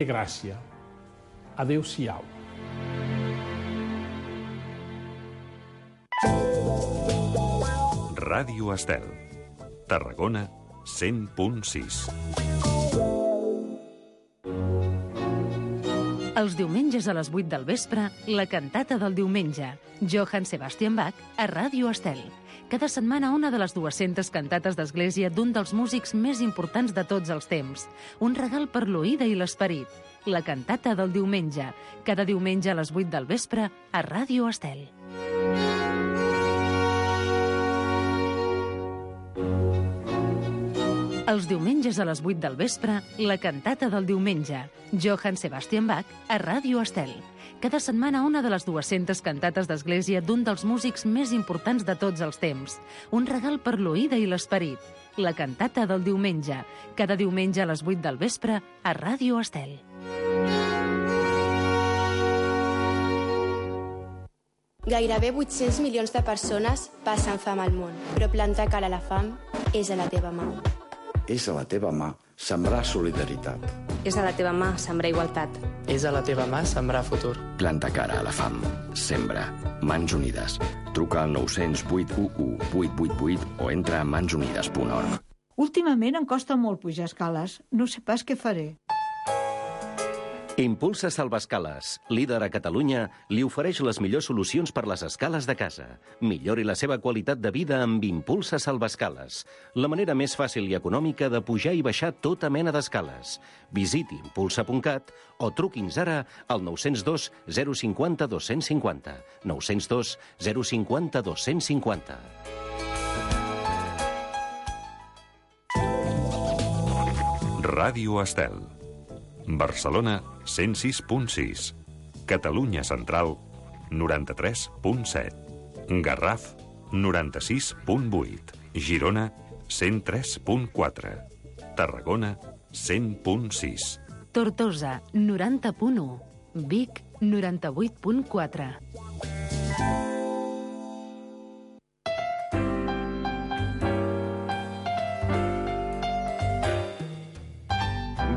Gràcia. Adéu-siau. Ràdio Estel. Tarragona 100.6. Els diumenges a les 8 del vespre, la cantata del diumenge. Johann Sebastian Bach a Ràdio Estel. Cada setmana una de les 200 cantates d'església d'un dels músics més importants de tots els temps. Un regal per l'oïda i l'esperit. La cantata del diumenge. Cada diumenge a les 8 del vespre a Ràdio Estel. Els diumenges a les 8 del vespre, la cantata del diumenge. Johann Sebastian Bach a Ràdio Estel. Cada setmana una de les 200 cantates d'església d'un dels músics més importants de tots els temps. Un regal per l'oïda i l'esperit. La cantata del diumenge. Cada diumenge a les 8 del vespre a Ràdio Estel. Gairebé 800 milions de persones passen fam al món, però plantar cara a la fam és a la teva mà. És a la teva mà sembrar solidaritat. És a la teva mà sembrar igualtat. És a la teva mà sembrar futur. Planta cara a la fam. Sembra. Mans Unides. Truca al 900 811 888 o entra a mansunides.org. Últimament em costa molt pujar escales. No sé pas què faré. Impulsa Salvaescales, líder a Catalunya, li ofereix les millors solucions per les escales de casa. Millori la seva qualitat de vida amb Impulsa Salvaescales, la manera més fàcil i econòmica de pujar i baixar tota mena d'escales. Visiti impulsa.cat o truqui'ns ara al 902 050 250. 902 050 250. Ràdio Estel. Barcelona 106.6. Catalunya Central 93.7. Garraf 96.8. Girona 103.4. Tarragona 100.6. Tortosa 90.1. Vic 98.4.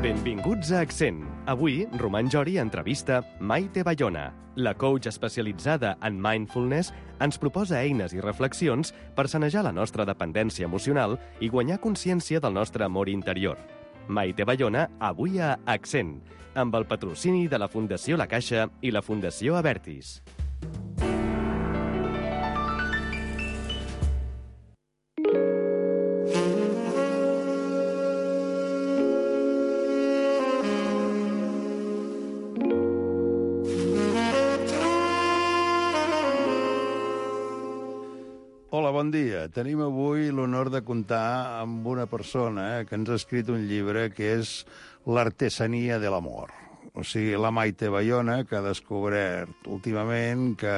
Benvinguts a Accent. Avui, Roman Jori entrevista Maite Bayona. La coach especialitzada en mindfulness ens proposa eines i reflexions per sanejar la nostra dependència emocional i guanyar consciència del nostre amor interior. Maite Bayona, avui a Accent, amb el patrocini de la Fundació La Caixa i la Fundació Abertis. Hola, bon dia. Tenim avui l'honor de comptar amb una persona que ens ha escrit un llibre que és L'artesania de l'amor. O sigui, la Maite Bayona, que ha descobert últimament que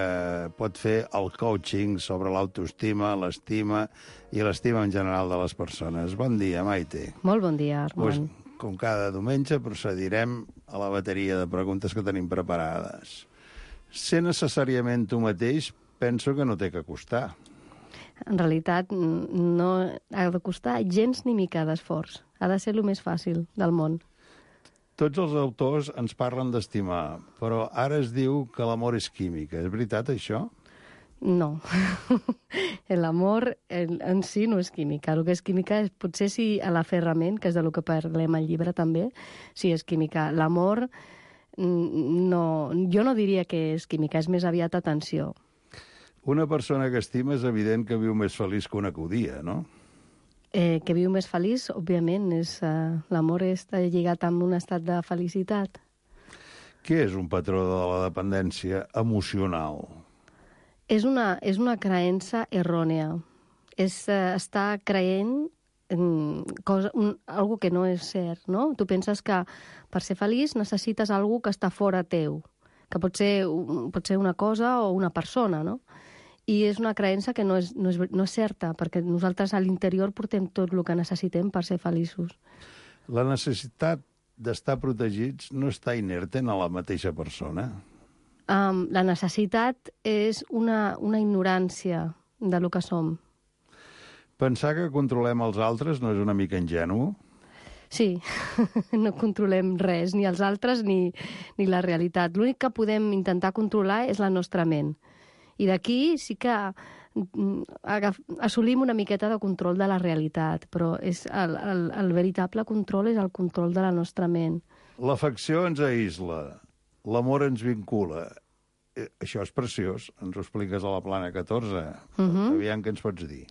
pot fer el coaching sobre l'autoestima, l'estima i l'estima en general de les persones. Bon dia, Maite. Molt bon dia, Armand. Pues, com cada diumenge, procedirem a la bateria de preguntes que tenim preparades. Ser necessàriament tu mateix, penso que no té que costar. En realitat, no ha de costar gens ni mica d'esforç. Ha de ser el més fàcil del món. Tots els autors ens parlen d'estimar, però ara es diu que l'amor és química. És veritat, això? No. L'amor en si no és química. El que és química és, potser si a l'aferrament, que és del que parlem al llibre també, sí és química. L'amor, no, jo no diria que és química, és més aviat atenció. Una persona que estima és evident que viu més feliç que una que odia, no? Que viu més feliç, òbviament, l'amor està lligat amb un estat de felicitat. Què és un patró de la dependència emocional? És una creença errònia. És estar creient en algo que no és cert, no? Tu penses que per ser feliç necessites algo que està fora teu, que pot ser una cosa o una persona, no? I és una creença que no és certa, perquè nosaltres a l'interior portem tot el que necessitem per ser feliços. La necessitat d'estar protegits no està inerte en la mateixa persona? La necessitat és una ignorància de lo que som. Pensar que controlem els altres no és una mica ingenu? Sí, no controlem res, ni els altres ni la realitat. L'únic que podem intentar controlar és la nostra ment. I d'aquí sí que assolim una miqueta de control de la realitat, però el veritable control és el control de la nostra ment. L'afecció ens aïsla, l'amor ens vincula. Això és preciós, ens ho expliques a la Plana 14. Aviam què ens pots dir.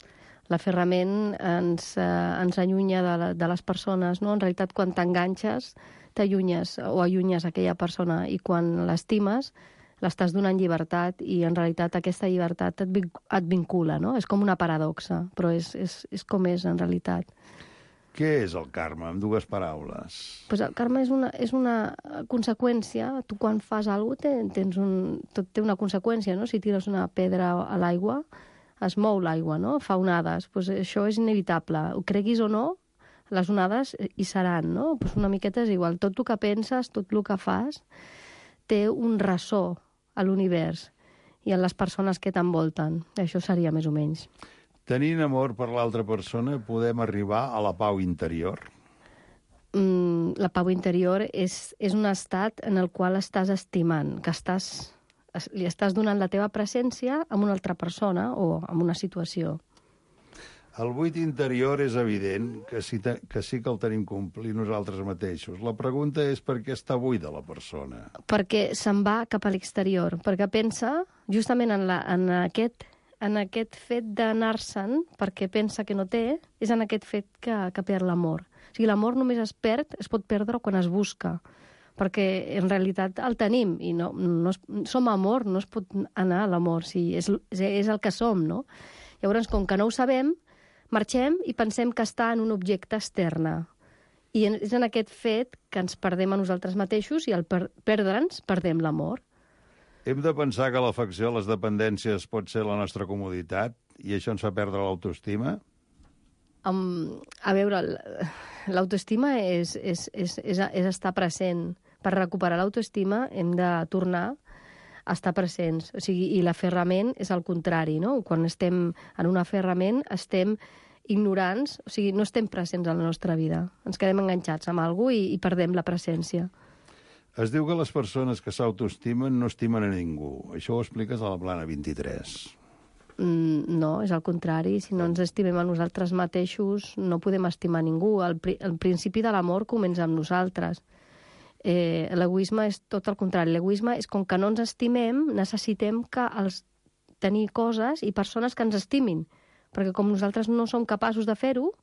L'aferrament ens allunya de les persones, no? En realitat, quan t'enganxes, t'allunyes o allunyes aquella persona, i quan l'estimes, l'estàs donant llibertat, i en realitat aquesta llibertat et vincula, no? És com una paradoxa, però és com és en realitat. Què és el karma, en dues paraules? Pues el karma és una conseqüència. Tu quan fas alguna cosa, tot té una conseqüència, no? Si tires una pedra a l'aigua, es mou l'aigua, no? Fa onades. Pues això és inevitable. Ho creguis o no, les onades hi seran, no? Pues una miqueta és igual. Tot el que penses, tot el que fas, té un ressò a l'univers i a les persones que t'envolten. Això seria més o menys. Tenint amor per l'altra persona, podem arribar a la pau interior? La pau interior és un estat en el qual estàs estimant, que li estàs donant la teva presència a una altra persona o a una situació. El buit interior és evident que sí que el tenim complir nosaltres mateixos. La pregunta és per què està buida la persona? Perquè se'n va cap a l'exterior, perquè pensa justament en aquest fet d'anar-se'n, perquè pensa que no té, és en aquest fet que perd l'amor. O sigui, l'amor només es pot perdre quan es busca, perquè en realitat el tenim, i no som amor, no es pot anar a l'amor, si és el que som, no? Llavors, com que no ho sabem, marxem i pensem que està en un objecte externe. I és en aquest fet que ens perdem a nosaltres mateixos, i al perdre'ns perdem l'amor. Hem de pensar que l'afecció a les dependències pot ser la nostra comoditat i això ens fa perdre l'autoestima? A veure, l'autoestima és estar present. Per recuperar l'autoestima hem de tornar a estar presents. O sigui, i l'aferrament és el contrari, no? Quan estem en un aferrament estem ignorants, o sigui, no estem presents en la nostra vida. Ens quedem enganxats amb algú i perdem la presència. Es diu que les persones que s'autoestimen no estimen a ningú. Això ho expliques a la Plana 23. No, és el contrari. Si no ens estimem a nosaltres mateixos, no podem estimar ningú. El principi de l'amor comença amb nosaltres. L'egoisme és tot el contrari. L'egoisme és com que no ens estimem, necessitem tenir coses i persones que ens estimin. Perquè com nosaltres no som capaços de fer-ho,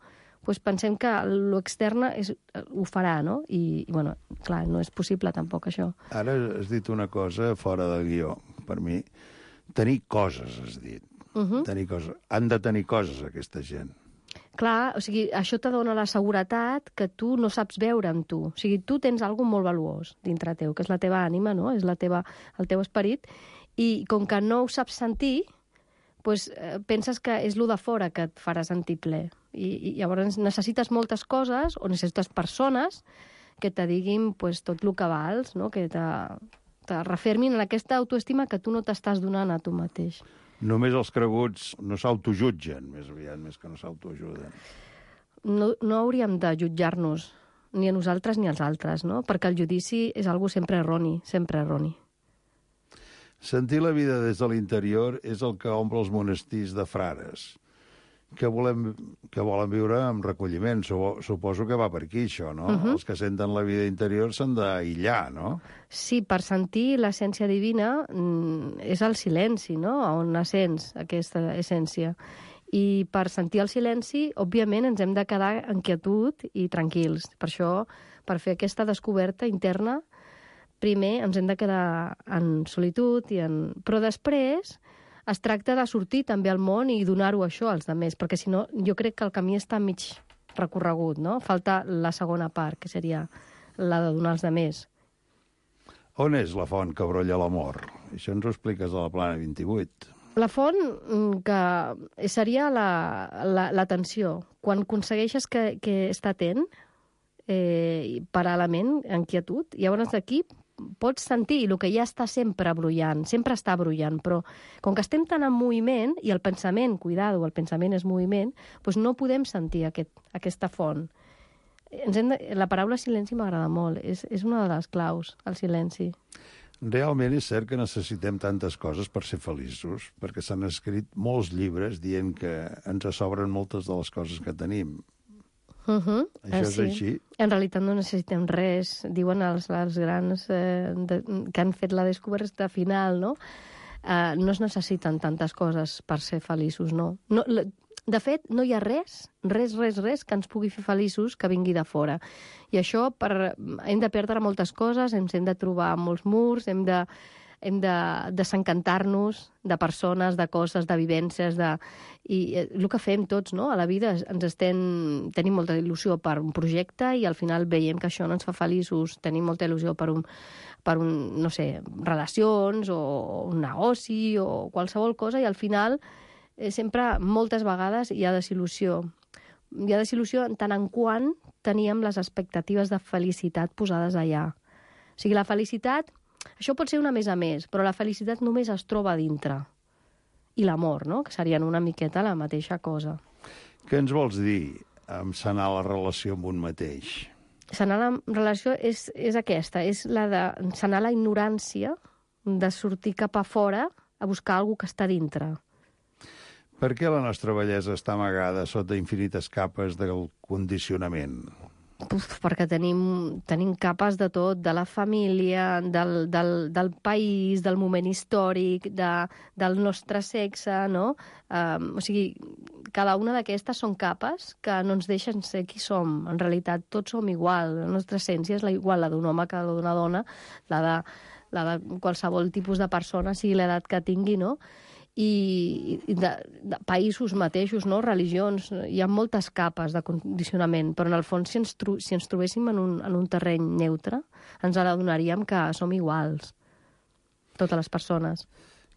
doncs pensem que l'extern ho farà, no? I, bueno, clar, no és possible tampoc això. Ara has dit una cosa fora de guió, per mi. Tenir coses, has dit. Tenir coses. Han de tenir coses, aquesta gent. Clar, o sigui, això te dona la seguretat que tu no saps veure amb tu. O sigui, tu tens alguna molt valuós dintre teu, que és la teva ànima, no? És el teu esperit, i com que no ho saps sentir, doncs penses que és lo de fora que et farà sentir ple. I llavors necessites moltes coses o necessites persones que te diguin pues, tot el que vals, no? Que te refermin en aquesta autoestima que tu no t'estàs donant a tu mateix. Només els creguts no s'autojutgen, més aviat, més que no s'autoajuden. No hauríem de jutjar-nos, ni a nosaltres ni als altres, no? Perquè el judici és algo sempre erroni, sempre erroni. Sentir la vida des de l'interior és el que omple els monestirs de frares, que volen viure amb recolliment. Suposo que va per aquí, això, no? Els que senten la vida interior s'han d'aïllar, no? Sí, per sentir l'essència divina és el silenci, no? On sents aquesta essència. I per sentir el silenci, òbviament, ens hem de quedar en quietud i tranquils. Per això, per fer aquesta descoberta interna, primer ens hem de quedar en solitud, però després es tracta de sortir també al món i donar-ho això als altres, perquè si no, jo crec que el camí està mig recorregut, no? Falta la segona part, que seria la de donar als altres. On és la font que brolla l'amor? Això ens ho expliques a la Plana 28. La font que seria l'atenció. Quan aconsegueixes que està atent, paral·lelament, en quietud, llavors d'aquí pots sentir el que ja està sempre brollant, sempre està brollant, però com que estem tan en moviment, i el pensament, cuidado, el pensament és moviment, doncs no podem sentir aquesta font. La paraula silenci m'agrada molt. És una de les claus, el silenci. Realment és cert que necessitem tantes coses per ser feliços, perquè s'han escrit molts llibres dient que ens sobren moltes de les coses que tenim. Això és així? En realitat no necessitem res. Diuen els grans que han fet la descoberta final, no? No es necessiten tantes coses per ser feliços, no. De fet, no hi ha res que ens pugui fer feliços que vingui de fora. I això, hem de perdre moltes coses, hem de trobar molts murs, hem de desencantar-nos de persones, de coses, de vivències, i el que fem tots, no? A la vida tenim molta il·lusió per un projecte i al final veiem que això no ens fa feliços, tenim molta il·lusió per no sé, relacions o un negoci o qualsevol cosa, i al final sempre, moltes vegades, hi ha desil·lusió. Hi ha desil·lusió en tant en quant teníem les expectatives de felicitat posades allà. O sigui, la felicitat, això pot ser una més a més, però la felicitat només es troba a dintre. I l'amor, no?, que serien una miqueta la mateixa cosa. Què ens vols dir amb sanar la relació amb un mateix? Sanar la relació és aquesta, és la de sanar la ignorància, de sortir cap a fora a buscar alguna que està dintre. Per què la nostra bellesa està amagada sota infinites capes del condicionament? Perquè tenim capes de tot, de la família, del país, del moment històric, del nostre sexe, no? O sigui, cada una d'aquestes són capes que no ens deixen ser qui som. En realitat, tots som igual. La nostra essència és igual, la d'un home que la d'una dona, la de qualsevol tipus de persona, sigui l'edat que tingui, no? I de països mateixos, no? Religions, hi ha moltes capes de condicionament, però en el fons si ens trobéssim en un terreny neutre ens adonaríem que som iguals, totes les persones.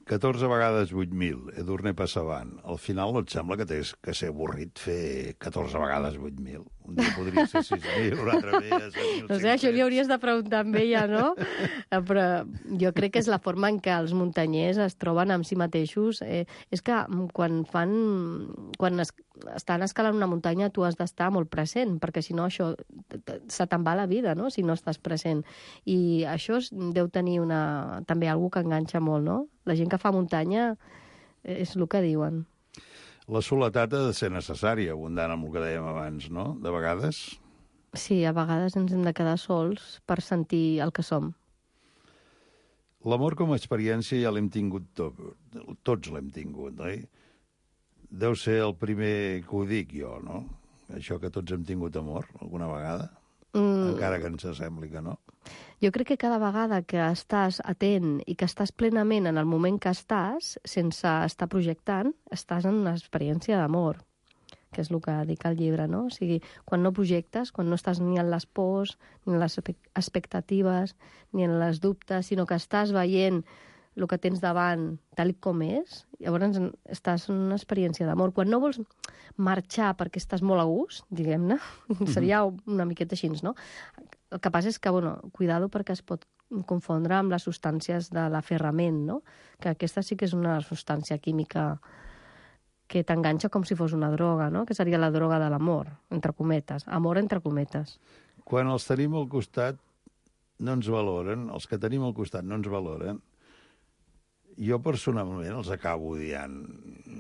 14 vegades 8.000, Edurne Passavant. Al final no et sembla que tens que ser avorrit fer 14 vegades 8.000? Un dia podria ser 6.000, un altre dia 7.500. No sé, això li hauries de preguntar amb ella, no? Però jo crec que és la forma en què els muntanyers es troben amb si mateixos. És que quan estan escalant una muntanya tu has d'estar molt present, perquè si no això se te'n va la vida, no?, si no estàs present. I això deu tenir també alguna que enganxa molt, no? La gent que fa muntanya és el que diuen. La soledat ha de ser necessària, abundant amb el que dèiem abans, no? De vegades? Sí, a vegades ens hem de quedar sols per sentir el que som. L'amor com a experiència ja l'hem tingut tots l'hem tingut, oi? Deu ser el primer que ho dic jo, no? Això que tots hem tingut amor, alguna vegada? Encara que ens sembli que no. Jo crec que cada vegada que estàs atent i que estàs plenament en el moment que estàs, sense estar projectant, estàs en una experiència d'amor, que és el que dic al llibre, no? O sigui, quan no projectes, quan no estàs ni en les pors, ni en les expectatives, ni en les dubtes, sinó que estàs veient el que tens davant tal com és, llavors estàs en una experiència d'amor. Quan no vols marxar perquè estàs molt a gust, diguem-ne, seria una miqueta així, no? El que passa és que, cuidado perquè es pot confondre amb les substàncies de l'aferrament, no? Que aquesta sí que és una substància química que t'enganxa com si fos una droga, no? Que seria la droga de l'amor, entre cometes. Amor entre cometes. Quan els tenim al costat no ens valoren, els que tenim al costat no ens valoren, jo personalment els acabo odiant.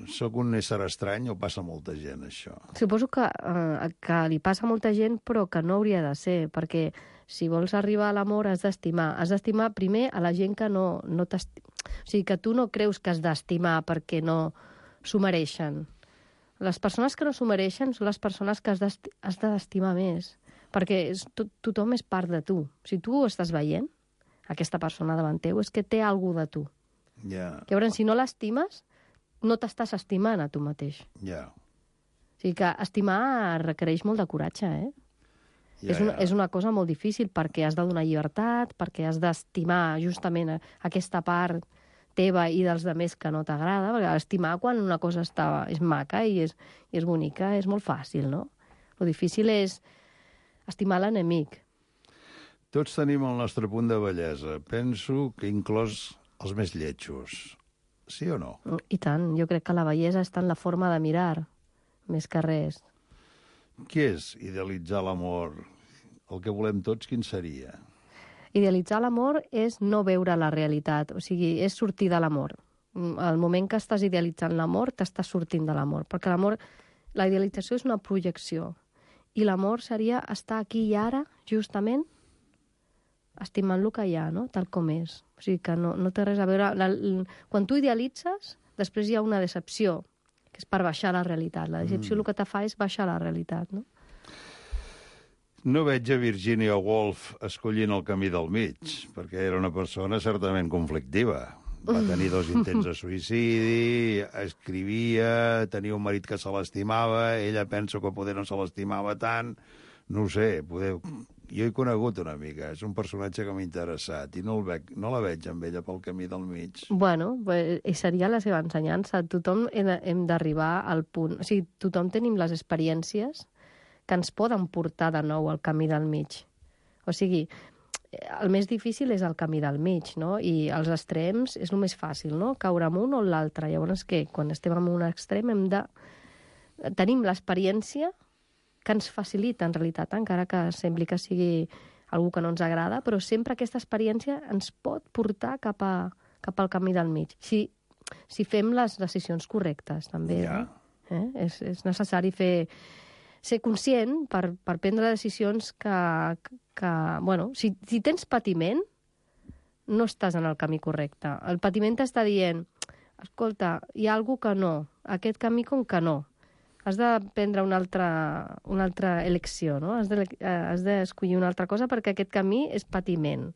Soc un ésser estrany o passa molta gent, això? Suposo que li passa a molta gent, però que no hauria de ser, perquè si vols arribar a l'amor has d'estimar. Has d'estimar primer a la gent que no t'estima. O sigui, que tu no creus que has d'estimar perquè no s'ho mereixen. Les persones que no s'ho mereixen són les persones que has d'estimar més, perquè tothom és part de tu. Si tu estàs veient aquesta persona davant teu, és que té alguna de tu. Yeah. Llavors, si no l'estimes, no t'estàs estimant a tu mateix. Yeah. O sigui que estimar requereix molt de coratge, eh? És una cosa molt difícil perquè has de donar llibertat, perquè has d'estimar justament aquesta part teva i dels altres que no t'agrada, perquè estimar quan una cosa és maca i és bonica és molt fàcil, no? Lo difícil és estimar l'enemic. Tots tenim el nostre punt de bellesa. Penso que inclòs els més lletjos. Sí o no? I tant. Jo crec que la bellesa està en la forma de mirar, més que res. Què és idealitzar l'amor? El que volem tots, quin seria? Idealitzar l'amor és no veure la realitat, o sigui, és sortir de l'amor. Al moment que estàs idealitzant l'amor, t'estàs sortint de l'amor, perquè l'amor, la idealització és una projecció, i l'amor seria estar aquí i ara, justament, estimant el que hi ha, no? Tal com és. O sigui que no té res a veure... Quan tu idealitzes, després hi ha una decepció, que és per baixar la realitat. La decepció el que te fa és baixar la realitat, no? No veig a Virginia Woolf escollint el camí del mig, perquè era una persona certament conflictiva. Va tenir 2 intents de suïcidi, escrivia, tenia un marit que se l'estimava, ella penso que poder no se l'estimava tant, no ho sé, jo he conegut una mica, és un personatge que m'ha interessat i no la veig amb ella pel camí del mig. Bueno, seria la seva ensenyança. Tothom hem d'arribar al punt... O sigui, tothom tenim les experiències que ens poden portar de nou al camí del mig. O sigui, el més difícil és el camí del mig, no? I els extrems és el més fàcil, no? Caure en un o en l'altre. Llavors, què? Quan estem en un extrem tenim l'experiència que ens facilita, en realitat, encara que sembli que sigui algú que no ens agrada, però sempre aquesta experiència ens pot portar cap al camí del mig. Si fem les decisions correctes, també. Ja. És necessari ser conscient per prendre decisions que bueno, si tens patiment, no estàs en el camí correcte. El patiment t'està dient, escolta, hi ha alguna que no, aquest camí com que no. Has de prendre una altra elecció, no? Has d'escollir una altra cosa perquè aquest camí és patiment.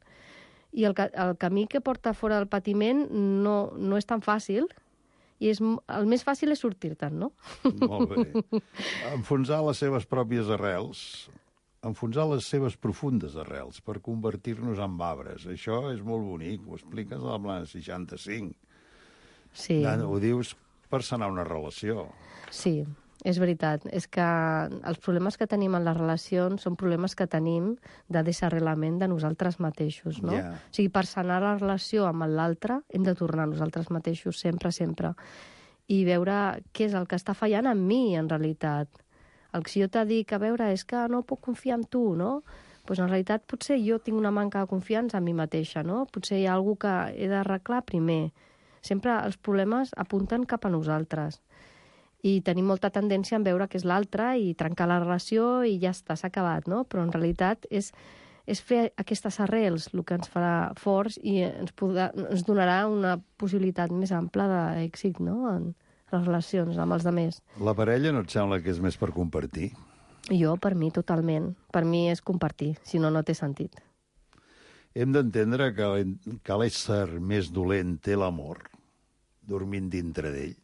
I el camí que porta fora del patiment no és tan fàcil, i el més fàcil és sortir-te'n, no? Molt bé. Enfonsar les seves pròpies arrels, enfonsar les seves profundes arrels per convertir-nos en arbres. Això és molt bonic, ho expliques a la Plana 65. Sí. Ho dius per sanar una relació. Sí, és veritat. És que els problemes que tenim en les relacions són problemes que tenim de desarrelament de nosaltres mateixos, no? Yeah. O sigui, per sanar la relació amb l'altre hem de tornar a nosaltres mateixos sempre, sempre. I veure què és el que està fallant en mi, en realitat. Si jo t'he dit, a veure, és que no puc confiar en tu, no? Doncs en realitat potser jo tinc una manca de confiança en mi mateixa, no? Potser hi ha alguna que he d'arreglar primer. Sempre els problemes apunten cap a nosaltres. I tenim molta tendència a veure que és l'altre i trencar la relació i ja està, s'ha acabat, no? Però en realitat és fer aquestes arrels el que ens farà forts i ens donarà una possibilitat més ampla d'èxit, no?, en les relacions amb els altres. La parella no et sembla que és més per compartir? Jo, per mi, totalment. Per mi és compartir, si no, no té sentit. Hem d'entendre que l'ésser més dolent té l'amor, dormint dintre d'ell.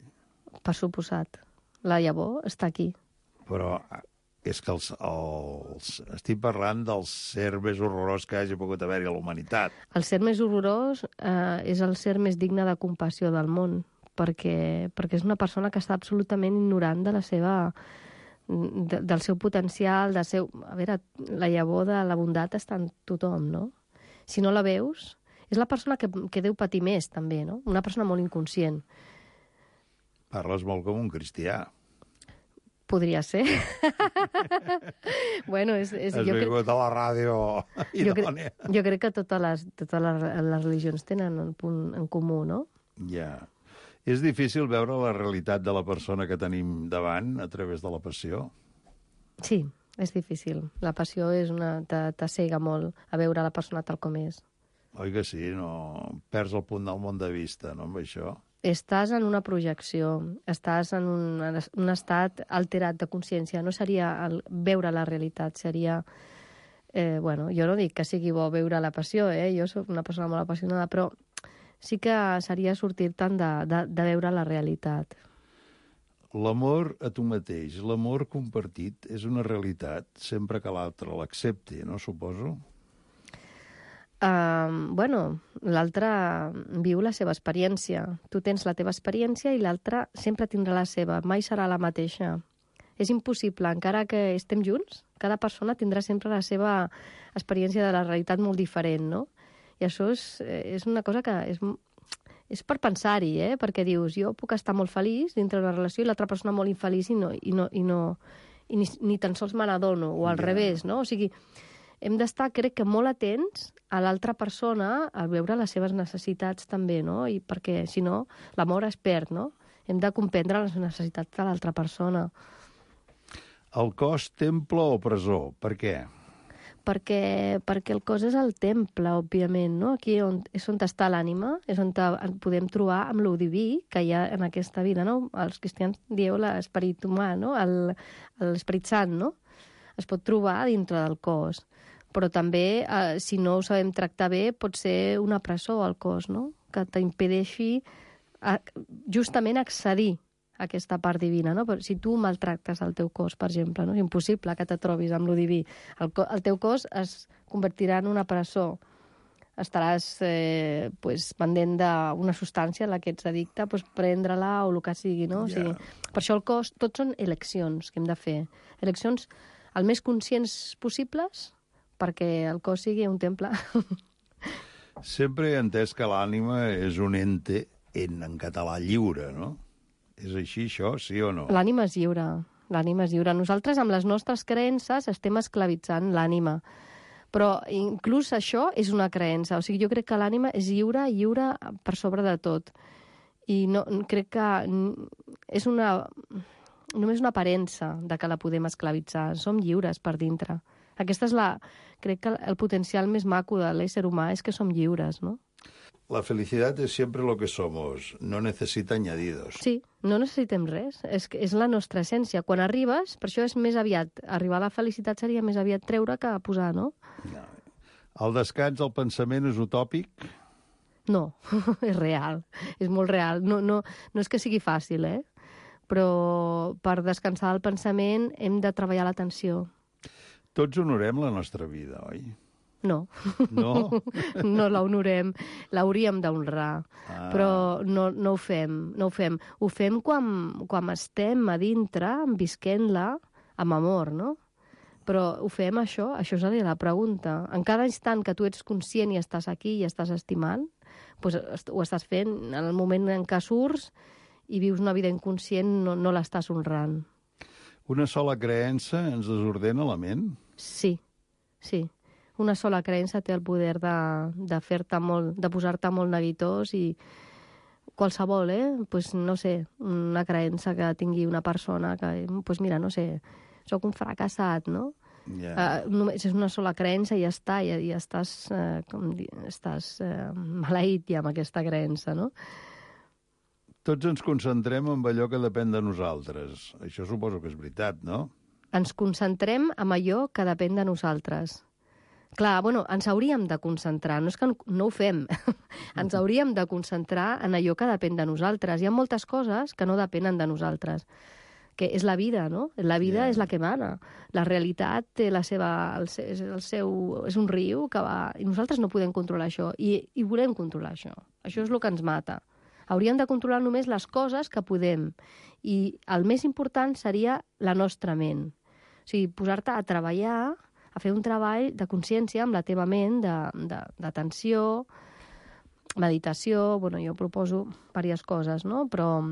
Per suposat. La llavor està aquí. Però és que estic parlant del ser més horrorós que hagi pogut haver-hi a la humanitat. El ser més horrorós és el ser més digne de compassió del món, perquè és una persona que està absolutament ignorant de del seu potencial, A veure, la llavor de la bondat està en tothom, no? Si no la veus, és la persona que deu patir més, també, no? Una persona molt inconscient. Parles molt com un cristià. Podria ser. Bueno, Has vingut a la ràdio idònia. Jo crec que totes les religions tenen un punt en comú, no? Ja. És difícil veure la realitat de la persona que tenim davant a través de la passió? Sí, és difícil. La passió t'assega molt a veure la persona tal com és. Oi que sí? No perds el punt del món de vista, no, amb això? Estàs en una projecció, estàs en un estat alterat de consciència. No seria veure la realitat, seria... Bueno, jo no dic que sigui bo veure la passió, jo soc una persona molt apassionada, però sí que seria sortir-te'n de veure la realitat. L'amor a tu mateix, l'amor compartit, és una realitat sempre que l'altre l'accepti, no, suposo? Bueno, l'altre viu la seva experiència. Tu tens la teva experiència i l'altre sempre tindrà la seva, mai serà la mateixa. És impossible, encara que estem junts, cada persona tindrà sempre la seva experiència de la realitat molt diferent, no? I això és una cosa que és per pensar-hi, perquè dius, jo puc estar molt feliç dintre d'una relació i l'altra persona molt infeliç i i ni tan sols me n'adono, o al revés, no? O sigui, hem d'estar, crec que, molt atents a l'altra persona, a veure les seves necessitats també, no? I perquè, si no, l'amor es perd, no? Hem de comprendre les necessitats de l'altra persona. El cos, temple o presó? Per què? Perquè el cos és el temple, òbviament, no? Aquí és on està l'ànima, és on podem trobar amb lo diví que hi ha en aquesta vida, no? Els cristians dieu l'esperit humà, no? L'esperit sant, no? Es pot trobar dintre del cos. Però també, si no ho sabem tractar bé, pot ser una presó al cos, no? Que t'impedeixi justament accedir a aquesta part divina, no? Però si tu maltractes el teu cos, per exemple, no? És impossible que te trobis amb lo diví. El teu cos es convertirà en una presó. Estaràs pendent d'una substància a la que ets addicte, prendre-la o el que sigui, no? O sigui, per això el cos, tots són eleccions que hem de fer. Eleccions el més conscients possibles perquè el cos sigui un temple. Sempre he entès que l'ànima és un ente en català lliure, no? És així, això, sí o no? L'ànima és lliure, l'ànima és lliure. Nosaltres, amb les nostres creences, estem esclavitzant l'ànima. Però inclús això és una creença. O sigui, jo crec que l'ànima és lliure per sobre de tot. I no, crec que és només una aparença de que la podem esclavitzar. Som lliures per dintre. Aquesta és crec que el potencial més maco de l'ésser humà és que som lliures, no? La felicidad es siempre lo que somos, no necesita añadidos. Sí, no necessitem res, és la nostra essència. Quan arribes, per això és més aviat, arribar a la felicitat seria més aviat treure que posar, no? El descans del pensament és utòpic? No, és real, és molt real. No és que sigui fàcil, però per descansar el pensament hem de treballar l'atenció. Tots honorem la nostra vida, oi? No. No? No l'honorem. L'hauríem d'honrar. Però no ho fem. No ho fem. Ho fem quan estem a dintre, visquent-la, amb amor, no? Però ho fem això seria la pregunta. En cada instant que tu ets conscient i estàs aquí i estàs estimant, doncs ho estàs fent. En el moment en què surts i vius una vida inconscient, no l'estàs honrant. Una sola creença ens desordena la ment? Sí. Una sola creença té el poder de fer-te molt, de posar-te molt neguitós i qualsevol, no sé, una creença que tingui una persona que, mira, no sé, sóc un fracassat, no? Només és una sola creença i ja està, i estàs maleït ja amb aquesta creença, no? Tots ens concentrem en allò que depèn de nosaltres. Això suposo que és veritat, no? Ens concentrem en allò que depèn de nosaltres. Clar, ens hauríem de concentrar, no és que no ho fem, ens hauríem de concentrar en allò que depèn de nosaltres. Hi ha moltes coses que no depenen de nosaltres, que és la vida, no? La vida és la que mana. La realitat té és un riu que va... I nosaltres no podem controlar això, i volem controlar això. Això és el que ens mata. Hauríem de controlar només les coses que podem, i el més important seria la nostra ment. O sigui, posar-te a treballar, a fer un treball de consciència amb la teva ment, d'atenció, meditació, jo proposo diverses coses, no? Però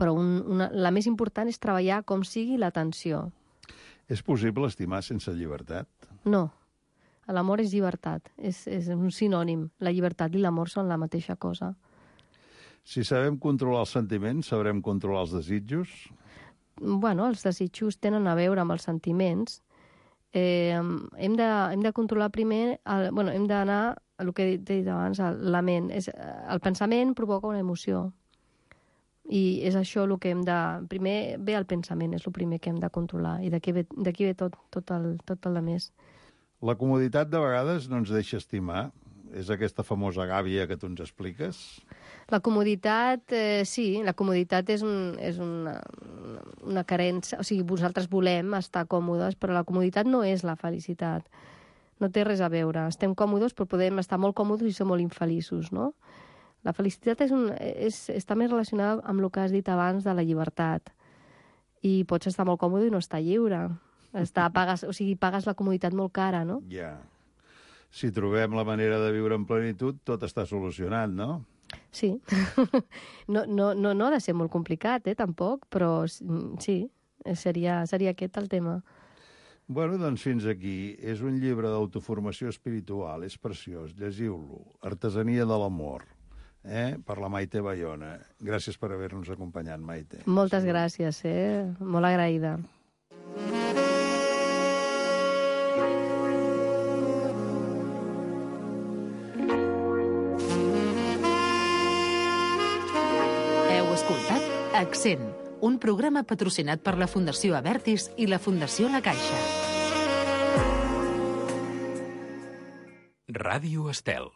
la més important és treballar com sigui l'atenció. És possible estimar sense llibertat? No. L'amor és llibertat, és un sinònim. La llibertat i l'amor són la mateixa cosa. Si sabem controlar els sentiments, sabrem controlar els desitjos? Els desitjos tenen a veure amb els sentiments. Hem de controlar primer, hem d'anar a el que he dit abans, la ment. El pensament provoca una emoció. I és això el que hem de... Primer ve el pensament, és el primer que hem de controlar. I d'aquí ve tot el més. La comoditat de vegades no ens deixa estimar. És aquesta famosa gàbia que tu ens expliques? La comoditat, sí, la comoditat és una carència. O sigui, vosaltres volem estar còmodes, però la comoditat no és la felicitat. No té res a veure. Estem còmodes, però podem estar molt còmodes i ser molt infeliços, no? La felicitat està més relacionada amb el que has dit abans de la llibertat. I pots estar molt còmode i no estar lliure. Pagues la comoditat molt cara, no? Ja. Si trobem la manera de viure en plenitud, tot està solucionat, no? Sí. No ha de ser molt complicat, tampoc, però sí. seria aquest el tema. Bueno, doncs fins aquí. És un llibre d'autoformació espiritual, és preciós, llegiu-lo. Artesania de l'amor, per la Maite Bayona. Gràcies per haver-nos acompanyat, Maite. Moltes gràcies, molt agraïda. Heu escoltat Accent, un programa patrocinat per la Fundació Abertis i la Fundació La Caixa. Ràdio Estel.